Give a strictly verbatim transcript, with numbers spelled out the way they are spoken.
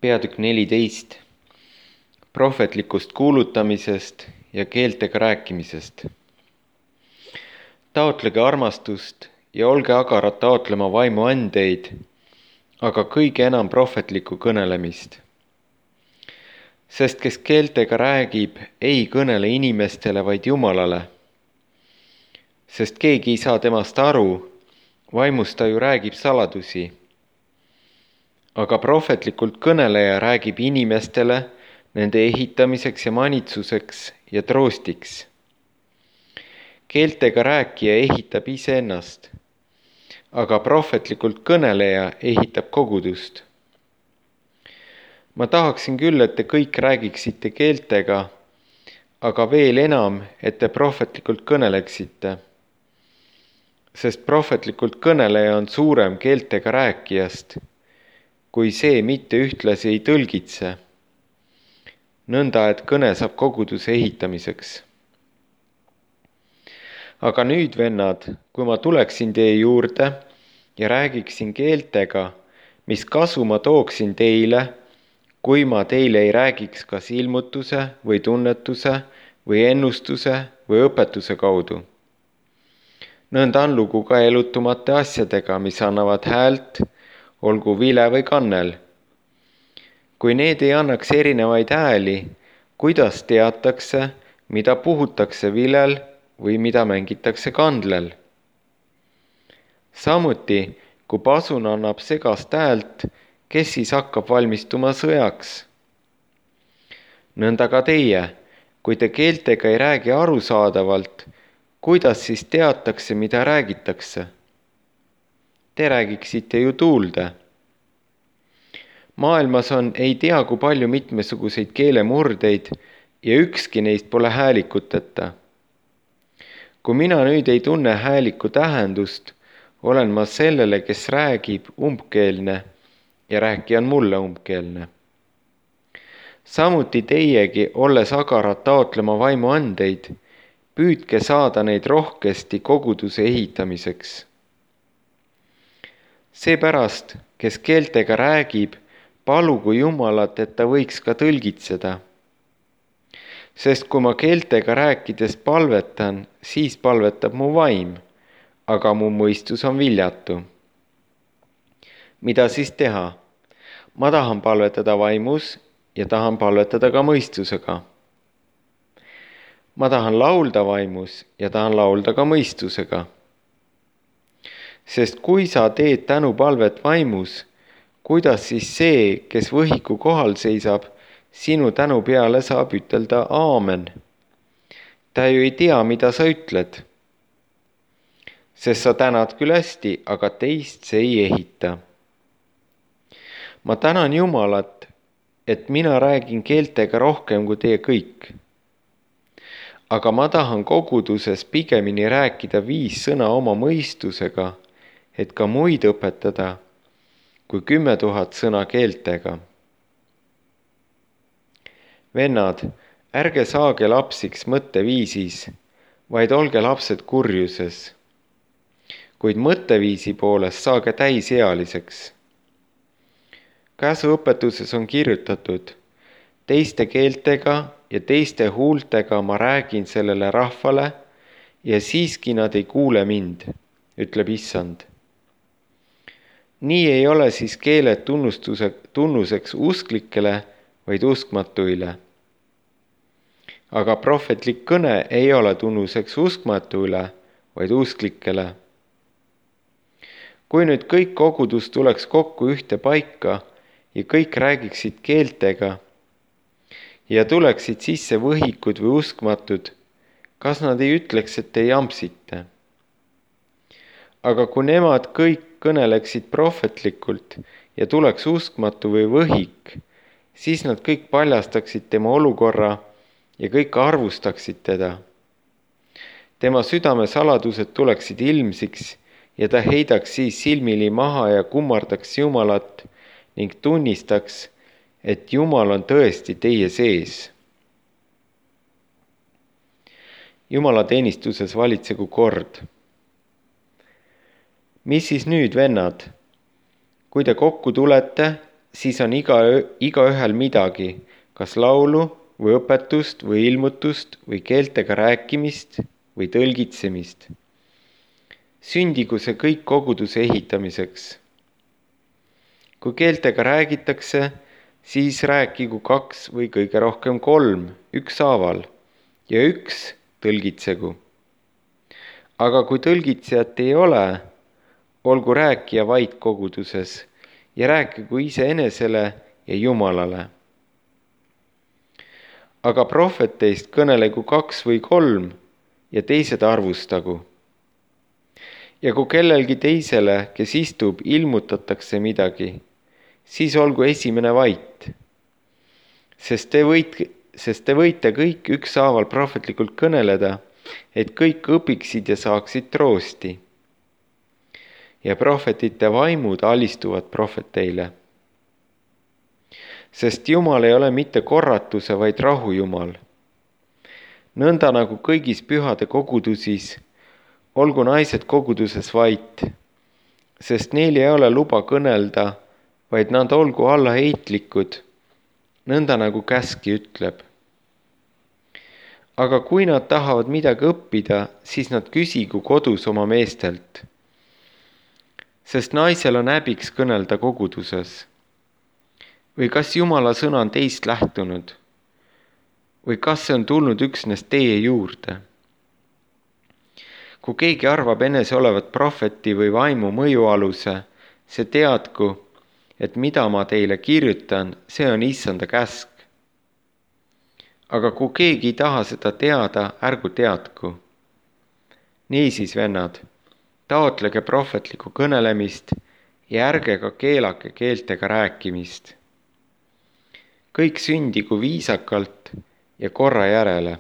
Peatükk neliteist. Prohvetlikust kuulutamisest ja keeltega rääkimisest. Taotlege armastust ja olge agarad taotlema vaimu andeid, aga kõige enam prohvetlikku kõnelemist. Sest kes keeltega räägib, ei kõnele inimestele, vaid Jumalale. Sest keegi ei saa temast aru, vaimust ta ju räägib saladusi. Aga prohvetlikult kõneleja räägib inimestele nende ehitamiseks ja manitsuseks ja troostiks. Keeltega rääkija ehitab iseennast, aga prohvetlikult kõneleja ehitab kogudust. Ma tahaksin küll, et te kõik räägiksite keeltega, aga veel enam, et te prohvetlikult kõneleksite. Sest prohvetlikult kõneleja on suurem keeltega rääkijast, kui see mitte ühtlasi ei tõlgitse, nõnda et kõne saab koguduse ehitamiseks. Aga nüüd, vennad, kui ma tuleksin teie juurde ja räägiksin keeltega, mis kasu ma tooksin teile, kui ma teile ei räägiks kas ilmutuse või tunnetuse või ennustuse või õpetuse kaudu. Nõnda on lugu ka elutumate asjadega, mis annavad häält, olgu vile või kannel. Kui need ei annaks erinevaid hääli, kuidas teatakse, mida puhutakse vilel või mida mängitakse kandlel? Samuti, kui pasun annab segast häält, kes siis hakkab valmistuma sõjaks? Nõnda ka teie, kui te keeltega ei räägi arusaadavalt, kuidas siis teatakse, mida räägitakse? Te räägiksite ju tuulde. Maailmas on ei tea kui palju mitmesuguseid keelemurdeid ja ükski neist pole häälikuteta. Kui mina nüüd ei tunne hääliku tähendust, olen ma sellele, kes räägib, umbkeelne ja rääkija on mulle umbkeelne. Samuti teiegi, olles agarad taotlema vaimu andeid, püüdke saada neid rohkesti koguduse ehitamiseks. Seepärast, kes keeltega räägib, palugu Jumalat, et ta võiks ka tõlgitseda. Sest kui ma keeltega rääkides palvetan, siis palvetab mu vaim, aga mu mõistus on viljatu. Mida siis teha? Ma tahan palvetada vaimus ja tahan palvetada ka mõistusega. Ma tahan laulda vaimus ja tahan laulda ka mõistusega. Sest kui sa teed tänupalvet vaimus, kuidas siis see, kes võhiku kohal seisab, sinu tänu peale saab ütelda aamen? Ta ju ei tea, mida sa ütled. Sest sa tänad küll hästi, aga teist see ei ehita. Ma tänan Jumalat, et mina räägin keeltega rohkem kui teie kõik. Aga ma tahan koguduses pigemini rääkida viis sõna oma mõistusega, et ka muid õpetada, kui kümme tuhat sõna keeltega. Vennad, ärge saage lapsiks mõtteviisis, vaid olge lapsed kurjuses. Kuid mõtteviisi poolest saage täisealiseks. Käsuõpetuses on kirjutatud, teiste keeltega ja teiste huultega ma räägin sellele rahvale ja siiski nad ei kuule mind, ütleb Issand. Nii ei ole siis keeled tunnustuse, tunnuseks usklikele, vaid uskmatuile. Aga prohvetlik kõne ei ole tunnuseks uskmatuile, vaid usklikele. Kui nüüd kõik kogudus tuleks kokku ühte paika ja kõik räägiksid keeltega ja tuleksid sisse võhikud või uskmatud, kas nad ei ütleks, et te jampsite? Aga kui nemad kõik kõneleksid prohvetlikult ja tuleks uskmatu või võhik, siis nad kõik paljastaksid tema olukorra ja kõik arvustaksid teda. Tema südame saladused tuleksid ilmsiks ja ta heidaks siis silmili maha ja kummardaks Jumalat ning tunnistaks, et Jumal on tõesti teie sees. Jumala teenistuses valitsegu kord. Mis siis nüüd, vennad? Kui te kokku tulete, siis on iga, igaühel midagi, kas laulu või õpetust või ilmutust või keeltega rääkimist või tõlgitsemist. Sündigu see kõik koguduse ehitamiseks. Kui keeltega räägitakse, siis rääkigu kaks või kõige rohkem kolm ükshaaval ja üks tõlgitsegu. Aga kui tõlgitsejat ei ole, olgu rääkija vait koguduses ja rääkigu iseenesele ja Jumalale. Aga prohveteist kõnelegu kaks või kolm ja teised arvustagu. Ja kui kellelgi teisele, kes istub, ilmutatakse midagi, siis olgu esimene vait. Sest te võite, sest te võite kõik ükshaaval prohvetlikult kõneleda, et kõik õpiksid ja saaksid troosti. Ja prohvetite vaimud alistuvad prohveteile. Sest Jumal ei ole mitte korratuse, vaid rahu Jumal. Nõnda nagu kõigis pühade kogudusis, olgu naised koguduses vait, sest neil ei ole luba kõnelda, vaid nad olgu allaheitlikud, nõnda nagu käski ütleb. Aga kui nad tahavad midagi õppida, siis nad küsigu kodus oma meestelt, sest naisel on häbiks kõnelda koguduses. Või kas Jumala sõna on teist lähtunud? Või kas see on tulnud üksnes teie juurde? Kui keegi arvab enese olevat prohveti või vaimu mõjualuse, see teadku, et mida ma teile kirjutan, see on issanda käsk. Aga kui keegi ei taha seda teada, ärgu teadku. Niisiis, vennad, taotlege prohvetlikku kõnelemist ja ärge ka keelake keeltega rääkimist. Kõik sündigu viisakalt ja korra järele.